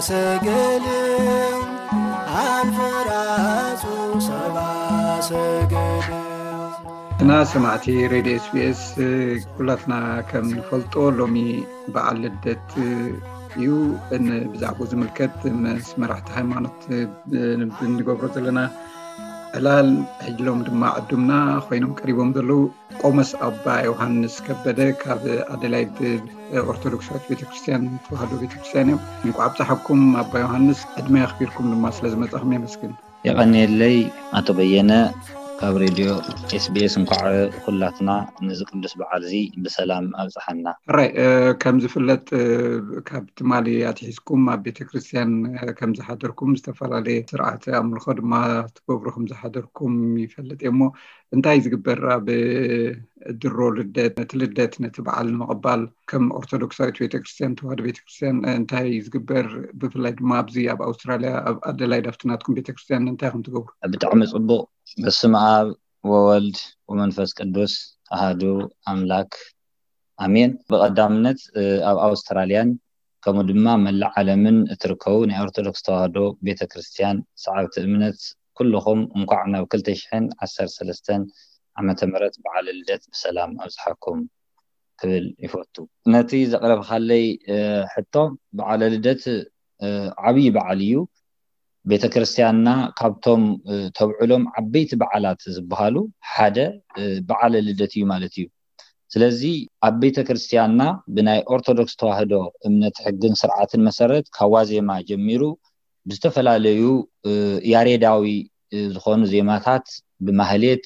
ሰገል ኣንፈራጹ ሰባ ሰገል። እና ሰማዕቲ ሬድዮ ኤስቢኤስ፣ ኩላትና ከም ንፈልጦ ሎሚ በዓል ልደት እዩ። ን-፣ ብዛዕባኡ ዝምልከት ምስ መራሕቲ ሃይማኖት ብ-፣ ብንገብሮ ዘለና ዕላል፣ ሕጂ ሎም ድማ ዕዱምና ኮይኖም ቀሪቦም ዘለዉ ቆሞስ ኣባ ዮሃንስ ከበደ ካብ ኣደላይድ ኦርቶዶክሳዊት ቤተክርስትያን ተዋህዶ ቤተክርስትያን እዮም። እንኳዕ ኣብፀሐኩም ኣባ ዮሃንስ፣ ዕድመ ኣኽቢርኩም ድማ ስለ ዝመጻኹም የመስግን። የቐንየለይ ኣቶ በየነ ካብ ሬድዮ ኤስቢኤስ። እንኳዕ ኩላትና ነዚ ቅዱስ በዓል እዚ ብሰላም ኣብጽሓና። ሕራይ፣ እ፣ ከም ዝፍለጥ፣ እ፣ ካብ ትማሊ ኣትሒዝኩም ኣብ ቤተክርስትያን፣ እ፣ ከም ዝሓደርኩም፣ ዝተፈላለየ ስርዓተ ኣምልኾ ድማ ትገብሩ ከም ዝሓደርኩም ይፈልጥ እየ። እሞ እንታይ ዝግበር ኣብ ድሮ ልደት፣ ነቲ ልደት፣ ነቲ በዓል ንምቕባል ከም ኦርቶዶክሳዊት ቤተክርስትያን፣ ተዋህዶ ቤተክርስትያን እንታይ ዝግበር? ብፍላይ ድማ ኣብዚ ኣብ ኣውስትራልያ፣ ኣብ ኣደላይድ ኣብቲ ናትኩም ቤተክርስትያን እንታይ ኢኹም ትገብሩ? ብጣዕሚ ጽቡቕ። በስመ ኣብ ወወልድ ወመንፈስ ቅዱስ ኣሃዱ ኣምላክ ኣሜን። ብቐዳምነት፣ እ፣ ኣብ ኣውስትራልያን ከምኡ ድማ መላእ ዓለምን እትርከቡ ናይ ኦርቶዶክስ ተዋህዶ ቤተክርስትያን ሰዓብቲ እምነት ኩልኹም እንኳዕ ናብ ክልተ ሽሕን ዓሰርተ ሰለስተን ዓመተ ምህረት በዓለ ልደት ብሰላም ኣብጽሓኩም ክብል ይፈቱ። ነቲ ዘቕረብካለይ፣ እ፣ ሕቶ፣ በዓለ ልደት፣ እ፣ ዓብዪ በዓል እዩ። ቤተክርስትያንና ካብቶም፣ እ፣ ተብዕሎም ዓበይቲ በዓላት ዝበሃሉ ሓደ፣ እ፣ በዓለ ልደት እዩ ማለት እዩ። ስለዚ ኣብ ቤተክርስትያንና ብናይ ኦርቶዶክስ ተዋህዶ እምነት ሕግን ስርዓትን መሰረት ካብ ዋዜማ ጀሚሩ ብዝተፈላለዩ፣ እ፣ ያሬዳዊ፣ እ፣ ዝኾኑ ዜማታት ብማህሌት፣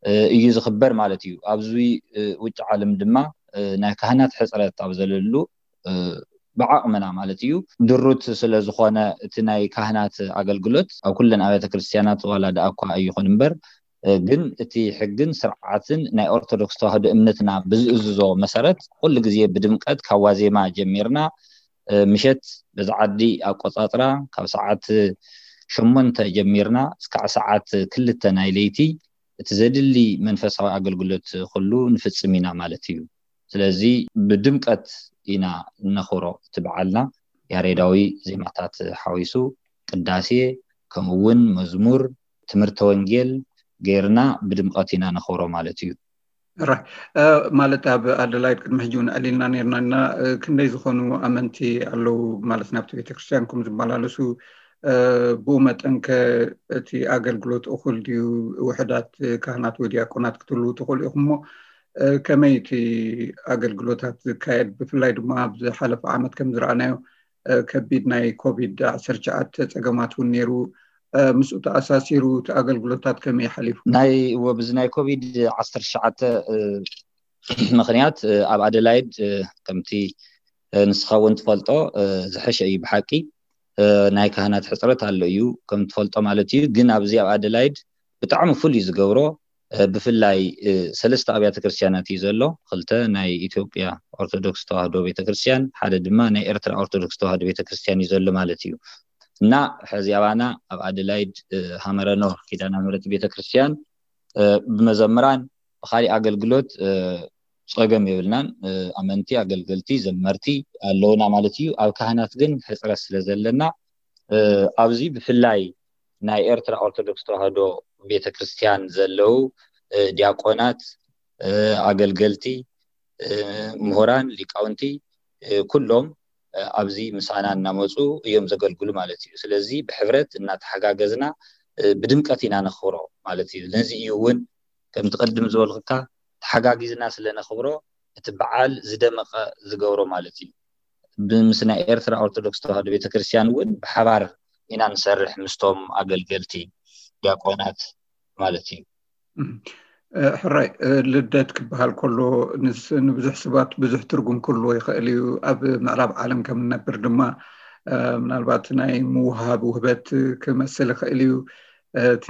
እ፣ እዩ ዝኽበር ማለት እዩ። ኣብዚ፣ እ፣ ውጭ ዓለም ድማ፣ እ፣ ናይ ካህናት ሕጽረት ኣብ ዘለሉ፣ እ፣ ብዓቕምና ማለት እዩ፣ ድሩት ስለ ዝኾነ እቲ ናይ ካህናት ኣገልግሎት ኣብ ኩለን ኣብያተ ክርስትያናት ዋላ ደኣ እኳ ኣይኹን እምበር፣ እ፣ ግን እቲ ሕግን ስርዓትን ናይ ኦርቶዶክስ ተዋህዶ እምነትና ብዝእዝዞ መሰረት ኩሉ ግዜ ብድምቀት ካብ ዋዜማ ጀሚርና፣ እ፣ ምሸት በዚ ዓዲ ኣቆጻጽራ ካብ ሰዓት ሸሞንተ ጀሚርና እስካዕ ሰዓት ክልተ ናይ ለይቲ እቲ ዘድሊ መንፈሳዊ ኣገልግሎት ኩሉ ንፍጽም ኢና ማለት እዩ። ስለዚ ብድምቀት ኢና እነኽብሮ እቲ በዓልና። ያሬዳዊ ዜማታት ሓዊሱ ቅዳሴ፣ ከምኡ እውን መዝሙር፣ ትምህርተ ወንጌል ጌርና ብድምቀት ኢና ነኽብሮ ማለት እዩ። ራይ፣ እ፣ ማለት ኣብ ኣደላይድ ቅድሚ ሕጂ እውን ኣዕሊልና ነርና ኢና፣ እ፣ ክንደይ ዝኾኑ ኣመንቲ ኣለዉ ማለት ናብቲ ቤተክርስትያንኩም ዝመላለሱ፣ እ፣ ብኡ መጠን ከ እቲ ኣገልግሎት እኹል ድዩ? ውሑዳት ካህናት ወይ ዲያቆናት ክትህልዉ ትኽእሉ ኢኹም እሞ፣ እ፣ ከመይ እቲ ኣገልግሎታት ዝካየድ? ብፍላይ ድማ ኣብ ዝሓለፈ ዓመት ከም ዝረኣናዮ፣ እ፣ ከቢድ ናይ ኮቪድ ዓሰርተ ትሽዓተ ጸገማት እውን ነይሩ። እ፣ ምስኡ ተኣሳሲሩ እቲ ኣገልግሎታት ከመይ ሓሊፉ? ናይ፣ እወ፣ ብዚ ናይ ኮቪድ ዓሰርተ ትሽዓተ፣ እ፣ ምኽንያት፣ እ፣ ኣብ ኣደላይድ፣ እ፣ ከምቲ፣ እ፣ ንስኻ እውን ትፈልጦ፣ እ፣ ዝሐሸ እዩ ብሓቂ። እ፣ ናይ ካህናት ሕጽረት ኣሎ እዩ፣ ከም ትፈልጦ ማለት እዩ። ግን ኣብዚ ኣብ ኣደላይድ ብጣዕሚ ፍሉይ ዝገብሮ፣ እ፣ ብፍላይ፣ እ፣ ሰለስተ ኣብያተ ክርስትያናት እዩ ዘሎ። ክልተ ናይ ኢትዮጵያ ኦርቶዶክስ ተዋህዶ ቤተክርስትያን፣ ሓደ ድማ ናይ ኤርትራ ኦርቶዶክስ ተዋህዶ ቤተክርስትያን እዩ ዘሎ ማለት እዩ። እና ሕዚ ኣባና ኣብ ኣደላይድ፣ እ፣ ሃመረኖ ኪዳነ ምሕረት ቤተክርስትያን፣ እ፣ ብመዘምራን ብኻሊእ ኣገልግሎት፣ እ፣ ጸገም የብልናን። እ፣ ኣመንቲ፣ ኣገልገልቲ፣ ዘመርቲ ኣለውና ማለት እዩ። ኣብ ካህናት ግን ሕጽረት ስለ ዘለና፣ እ፣ ኣብዚ ብፍላይ ናይ ኤርትራ ኦርቶዶክስ ተዋህዶ ቤተክርስትያን ዘለዉ፣ እ፣ ዲያቆናት፣ እ፣ ኣገልገልቲ፣ እ፣ ምሁራን፣ ሊቃውንቲ፣ እ፣ ኩሎም፣ እ፣ ኣብዚ ምሳና እናመጹ እዮም ዘገልግሉ ማለት እዩ። ስለዚ ብሕብረት እናተሓጋገዝና፣ እ፣ ብድምቀት ኢና ነኽብሮ ማለት እዩ። ነዚ እዩ እውን ከምቲ ቅድም ዝበልኩካ ተሓጋጊዝና ስለ ነኽብሮ እቲ በዓል ዝደመቐ ዝገብሮ ማለት እዩ። ብ-፣ ምስ ናይ ኤርትራ ኦርቶዶክስ ተዋህዶ ቤተክርስትያን እውን ብሓባር ኢና ንሰርሕ ምስቶም ኣገልገልቲ ዲያቆናት ማለት እዩ። እም፣ እ፣ ሕራይ፣ እ፣ ልደት ክበሃል ከሎ ንስ-፣ ንብዙሕ ሰባት ብዙሕ ትርጉም ክህልዎ ይኽእል እዩ። ኣብ ምዕራብ ዓለም ከም ንነብር ድማ፣ እ፣ ምናልባት ናይ ምውሃብ ውህበት ክመስል ይኽእል እዩ። እቲ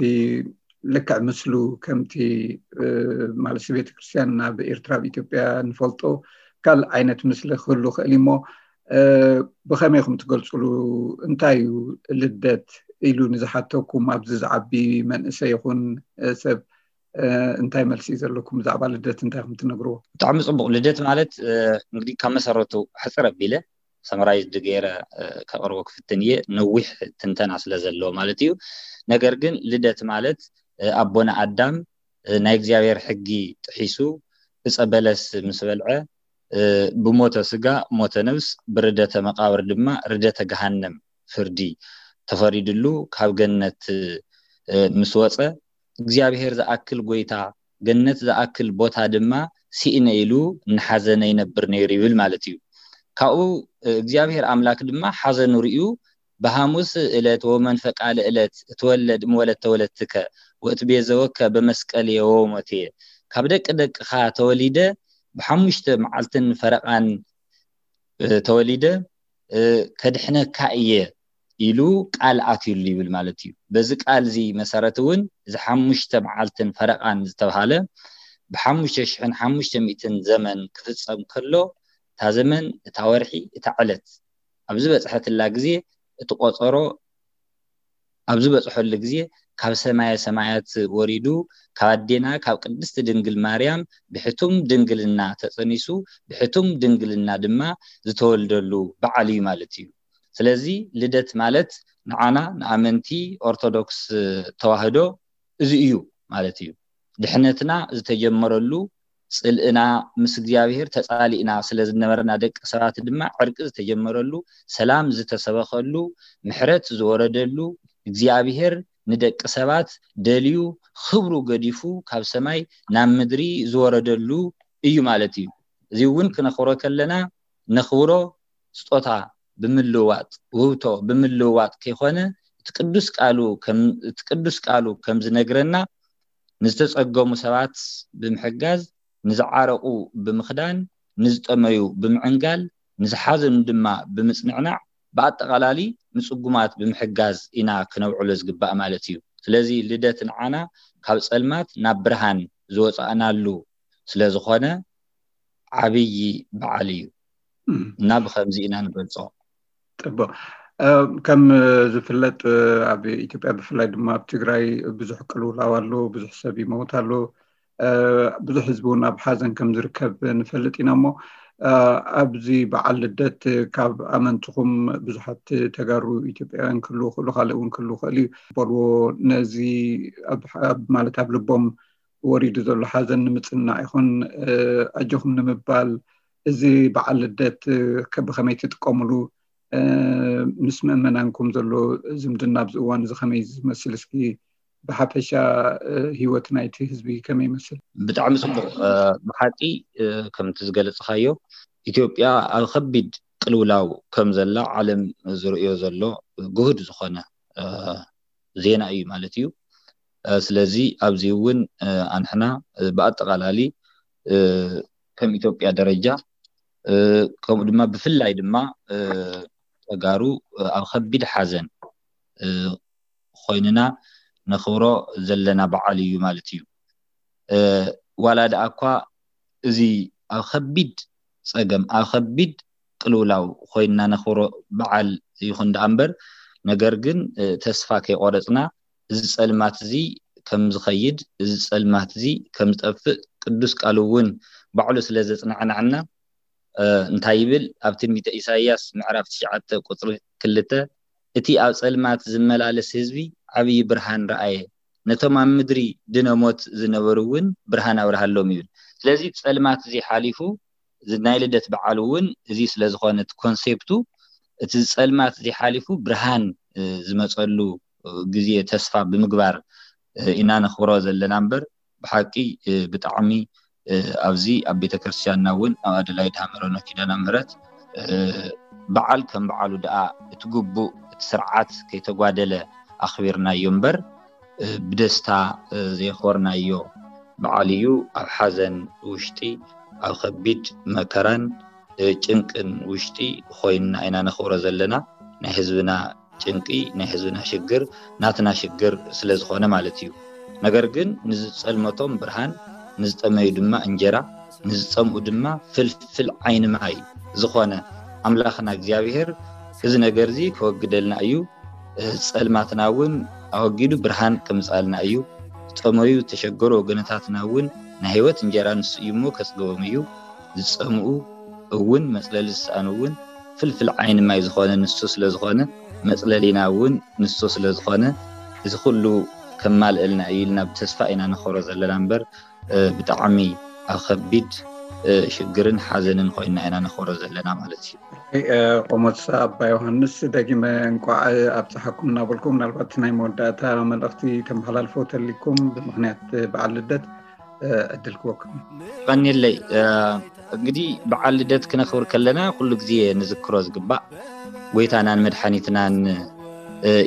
ልክዕ ምስሉ ከምቲ፣ እ፣ ማለት ቤተክርስትያን ናብ ኤርትራ ኣብ ኢትዮጵያ ንፈልጦ ካልእ ዓይነት ምስሊ ክህሉ ይኽእል እዩ እሞ፣ እ፣ ብኸመይ ኢኹም ትገልጽሉ? እንታይ እዩ ልደት ኢሉ ንዝሓተኩም ኣብዚ ዝዓቢ መንእሰይ ይኹን፣ እ፣ ሰብ፣ እ፣ እንታይ መልሲ እዩ ዘለኩም? ብዛዕባ ልደት እንታይ ኢኹም ትነግርዎ? ብጣዕሚ ጽቡቕ። ልደት ማለት፣ እ፣ እንግዲህ ካብ መሰረቱ ሕጽር ኣቢለ ሰመራይዝድ ገይረ ከቕርቦ ክፍትን እየ፣ ነዊሕ ትንተና ስለ ዘለዎ ማለት እዩ። ነገር ግን ልደት ማለት ኣቦና ኣዳም ናይ እግዚኣብሔር ሕጊ ጥሒሱ ዕፀ በለስ ምስ በልዐ ብሞተ ስጋ ሞተ ነብስ፣ ብርደተ መቃብር ድማ ርደተ ገሃነም ፍርዲ ተፈሪድሉ ካብ ገነት ምስ ወፀ፣ እግዚኣብሔር ዝኣክል ጎይታ፣ ገነት ዝኣክል ቦታ ድማ ስኢነ ኢሉ እናሓዘነ ይነብር ነይሩ ይብል ማለት እዩ። ካብኡ እግዚኣብሔር ኣምላክ ድማ ሓዘኑ ርእዩ፣ ብሃሙስ እለት ወመንፈቃለ እለት እትወለድ እምወለት ተወለትከ ወእትቤዘወከ በመስቀል የወሞቴ፣ ካብ ደቂ ደቅኻ ተወሊደ፣ ብሓሙሽተ መዓልትን ፈረቓን ተወሊደ ከድሕነካ እየ ኢሉ ቃል ኣትዩሉ ይብል ማለት እዩ። በዚ ቃል እዚ መሰረት እውን እዚ ሓሙሽተ መዓልትን ፈረቓን ዝተብሃለ ብሓሙሽተ ሽሕን ሓሙሽተ ሚእትን ዘመን ክፍፀም ከሎ፣ እታ ዘመን፣ እታ ወርሒ፣ እታ ዕለት ኣብ ዝበፅሐትላ ግዜ፣ እቲ ቆፀሮ ኣብ ዝበፅሐሉ ግዜ፣ ካብ ሰማየ ሰማያት ወሪዱ፣ ካብ ኣዴና ካብ ቅድስቲ ድንግል ማርያም ብሕቱም ድንግልና ተፀኒሱ፣ ብሕቱም ድንግልና ድማ ዝተወልደሉ በዓል እዩ ማለት እዩ። ስለዚ ልደት ማለት ንዓና ንኣመንቲ ኦርቶዶክስ ተዋህዶ እዚ እዩ ማለት እዩ። ድሕነትና ዝተጀመረሉ፣ ፅልእና ምስ እግዚኣብሔር ተፃሊእና ስለ ዝነበርና፣ ደቂ ሰባት ድማ ዕርቂ ዝተጀመረሉ፣ ሰላም ዝተሰበኸሉ፣ ምሕረት ዝወረደሉ፣ እግዚኣብሔር ንደቂ ሰባት ደልዩ ክብሩ ገዲፉ ካብ ሰማይ ናብ ምድሪ ዝወረደሉ እዩ ማለት እዩ። እዚ እውን ክነኽብሮ ከለና ነኽብሮ ስጦታ ብምልውዋጥ፣ ውህብቶ ብምልውዋጥ ከይኮነ፣ እቲ ቅዱስ ቃሉ ከም፣ እቲ ቅዱስ ቃሉ ከም ዝነግረና፣ ንዝተጸገሙ ሰባት ብምሕጋዝ፣ ንዝዓረቑ ብምኽዳን፣ ንዝጠመዩ ብምዕንጋል፣ ንዝሓዘኑ ድማ ብምጽንዕናዕ፣ ብኣጠቓላሊ ንጽጉማት ብምሕጋዝ ኢና ክነውዕሎ ዝግባእ ማለት እዩ። ስለዚ ልደት ንዓና ካብ ጸልማት ናብ ብርሃን ዝወጻእናሉ ስለ ዝኾነ ዓብዪ በዓል እዩ። እና ብኸምዚ ኢና ንገልጾ። ጽቡቕ። ከም ዝፍለጥ ኣብ ኢትዮጵያ ብፍላይ ድማ ኣብ ትግራይ ብዙሕ ቅልውላው ኣሎ፣ ብዙሕ ሰብ ይመውት ኣሎ፣ ብዙሕ ህዝቢ እውን ኣብ ሓዘን ከም ዝርከብ ንፈልጥ ኢና። እሞ ኣብዚ በዓል ልደት ካብ ኣመንትኹም ብዙሓት ተጋሩ ኢትዮጵያውያን ክህልዉ ይኽእሉ፣ ካልእ እውን ክህልዉ ይኽእል እዩ፣ በልዎ ነዚ ኣብ፣ ኣብ፣ ማለት ኣብ ልቦም ወሪዱ ዘሎ ሓዘን ንምጽናዕ ይኹን ኣጆኹም ንምባል፣ እዚ በዓል ልደት ብኸመይ ትጥቀምሉ፣ ምስ ምእመናንኩም ዘሎ ዝምድና ኣብዚ እዋን እዚ ከመይ ዝመስል፣ እስኪ ብሓፈሻ ህይወት ናይቲ ህዝቢ ከመይ ይመስል? ብጣዕሚ ጽቡቕ። ብሓቂ ከምቲ ዝገለጽኻዮ፣ ኢትዮጵያ ኣብ ከቢድ ቅልውላው ከም ዘላ ዓለም ዝርእዮ ዘሎ ግሁድ ዝኾነ ዜና እዩ ማለት እዩ። ስለዚ ኣብዚ እውን ኣንሕና ብኣጠቓላሊ ከም ኢትዮጵያ ደረጃ፣ ከምኡ ድማ ብፍላይ ድማ ተጋሩ ኣብ ከቢድ ሓዘን ኮይንና ነኽብሮ ዘለና በዓል እዩ ማለት እዩ። ዋላ ደኣ እኳ እዚ ኣብ ከቢድ ጸገም፣ ኣብ ከቢድ ቅልውላው ኮይንና ነኽብሮ በዓል ይኹን ደኣ እምበር፣ ነገር ግን ተስፋ ከይቆረጽና፣ እዚ ጸልማት እዚ ከም ዝኸይድ፣ እዚ ጸልማት እዚ ከም ዝጠፍእ ቅዱስ ቃሉ እውን ባዕሉ ስለ ዘጽናዕናዕና፣ እንታይ ይብል? ኣብ ትንቢተ ኢሳይያስ ምዕራፍ ትሽዓተ ቁጽሪ ክልተ፣ እቲ ኣብ ጸልማት ዝመላለስ ህዝቢ ዓብዪ ብርሃን ረኣየ፣ ነቶም ኣብ ምድሪ ድነ ሞት ዝነበሩ እውን ብርሃን ኣብርሃሎም ይብል። ስለዚ ጸልማት እዚ ሓሊፉ፣ እዚ ናይ ልደት በዓል እውን እዚ ስለ ዝኾነ፣ እቲ ኮንሴፕቱ፣ እቲ ጸልማት እዚ ሓሊፉ ብርሃን ዝመጸሉ ግዜ ተስፋ ብምግባር ኢና ነኽብሮ ዘለና እምበር፣ ብሓቂ ብጣዕሚ ኣብዚ ኣብ ቤተክርስትያንና እውን ኣብ ኣደላይድ ሃመረኖ ኪዳነ ምሕረት በዓል ከም በዓሉ ደኣ እቲ ግቡእ፣ እቲ ስርዓት ከይተጓደለ ኣኽቢርናዮ እምበር፣ ብደስታ ዘየኽበርናዮ በዓል እዩ። ኣብ ሓዘን ውሽጢ፣ ኣብ ከቢድ መከራን ጭንቅን ውሽጢ ኮይንና ኢና ነኽብሮ ዘለና። ናይ ህዝብና ጭንቂ፣ ናይ ህዝብና ሽግር ናትና ሽግር ስለ ዝኾነ ማለት እዩ። ነገር ግን ንዝጸልመቶም ብርሃን፣ ንዝጠመዩ ድማ እንጀራ፣ ንዝጸምኡ ድማ ፍልፍል ዓይኒ ማይ ዝኾነ ኣምላኽና እግዚኣብሔር እዚ ነገር እዚ ከወግደልና እዩ። ጸልማትና እውን ኣወጊዱ ብርሃን ከምጻልና እዩ። ዝጠመዩ ዝተሸገሩ ወገነታትና እውን ናይ ህይወት እንጀራ ንሱ እዩ እሞ ከጽግቦም እዩ። ዝጸምኡ እውን መጽለሊ ዝሰኣኑ እውን ፍልፍል ዓይኒ ማይ ዝኾነ ንሱ ስለ ዝኾነ፣ መጽለሊና እውን ንሱ ስለ ዝኾነ፣ እዚ ኩሉ ከማልእልና እዩ ኢልና ብተስፋ ኢና ንኸሮ ዘለና እምበር፣ ብጣዕሚ ኣብ ከቢድ ሽግርን ሓዘንን ኮይና ኢና ንኸሮ ዘለና ማለት እዩ። ቆሞስ ኣባ ዮሃንስ፣ ደጊመ እንቋዕ ኣብፀሓኩም እናበልኩ፣ ምናልባት ናይ መወዳእታ መልእኽቲ ተመሓላልፎ ተሊኩም ብምክንያት በዓል ልደት ዕድል ክወኩም። ቀኒለይ። እንግዲህ በዓል ልደት ክነኽብር ከለና ኩሉ ግዜ ንዝክሮ ዝግባእ ጎይታናን መድሓኒትናን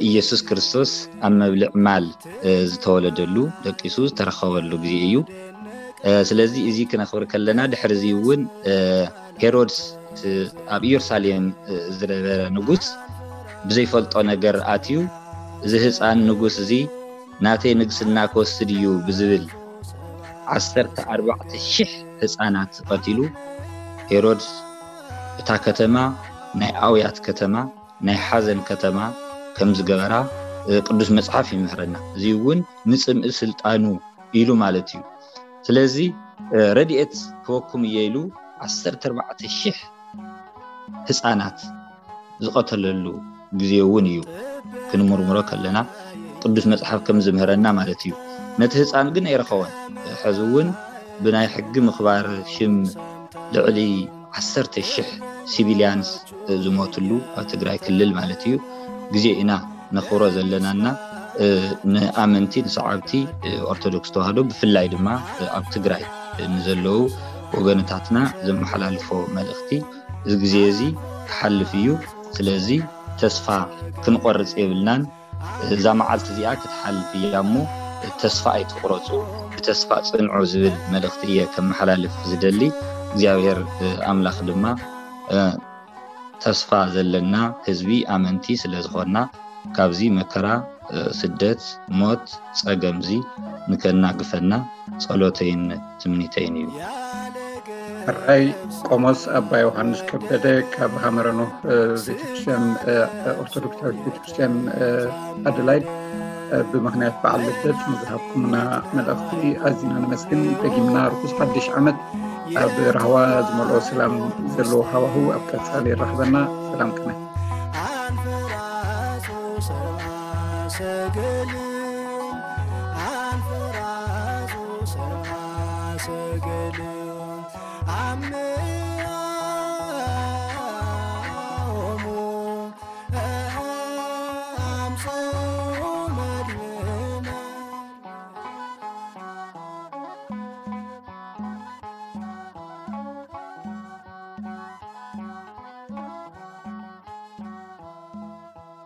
ኢየሱስ ክርስቶስ ኣብ መብልዕ ማል ዝተወለደሉ፣ ደቂሱ ዝተረኸበሉ ግዜ እዩ። ስለዚ እዚ ክነኽብር ከለና፣ ድሕሪ እዚ እውን ሄሮድስ ኣብ ኢየሩሳሌም ዝነበረ ንጉስ ብዘይፈልጦ ነገር ኣትዩ፣ እዚ ህፃን ንጉስ እዚ ናተይ ንግስና ክወስድ እዩ ብዝብል ዓሰርተ ኣርባዕተ ሽሕ ህፃናት ቀቲሉ፣ ሄሮድስ እታ ከተማ ናይ ኣውያት ከተማ፣ ናይ ሓዘን ከተማ ከም ዝገበራ ቅዱስ መፅሓፍ ይምህረና። እዚ እውን ንፅምኢ ስልጣኑ ኢሉ ማለት እዩ። ስለዚ ረድኤት ክወኩም እየ ኢሉ ዓሰርተ ኣርባዕተ ሽሕ ህፃናት ዝቐተለሉ ግዜ እውን እዩ። ክንምርምሮ ከለና ቅዱስ መፅሓፍ ከም ዝምህረና ማለት እዩ። ነቲ ህፃን ግን ኣይረኸቦን። ሕዚ እውን ብናይ ሕጊ ምኽባር ሽም ልዕሊ ዓሰርተ ሽሕ ሲቪልያንስ ዝሞትሉ ኣብ ትግራይ ክልል ማለት እዩ ግዜ ኢና ነኽብሮ ዘለናና ንኣመንቲ ንሰዓብቲ ኦርቶዶክስ ተዋህዶ ብፍላይ ድማ ኣብ ትግራይ ንዘለዉ ወገንታትና ዘመሓላልፎ መልእኽቲ እዚ ግዜ እዚ ክሓልፍ እዩ። ስለዚ ተስፋ ክንቆርፅ የብልናን። እዛ መዓልቲ እዚኣ ክትሓልፍ እያ እሞ ተስፋ ኣይትቁረፁ፣ ብተስፋ ፅንዑ ዝብል መልእኽቲ እየ ከመሓላልፍ ዝደሊ። እግዚኣብሔር ኣምላኽ ድማ ተስፋ ዘለና ህዝቢ ኣመንቲ ስለ ዝኾንና ካብዚ መከራ፣ ስደት፣ ሞት፣ ፀገምዚ ንከናግፈና ፀሎተይን ትምኒተይን እዩ። ሕራይ ቆሞስ ኣባ ዮሃንስ ከበደ ካብ ሃመረ ኖህ ቤተክርስትያን ኦርቶዶክሳዊት ቤተክርስትያን ኣደላይድ ብምክንያት በዓል ልደት ንዝሃብኩምና መልእኽቲ ኣዚና ነመስግን። ደጊምና ርኩስ ሓድሽ ዓመት ኣብ ራህዋ ዝመልኦ ሰላም ዘለዎ ሃዋህው ኣብ ቀፃሊ የራኽበና። ሰላም ቅነ።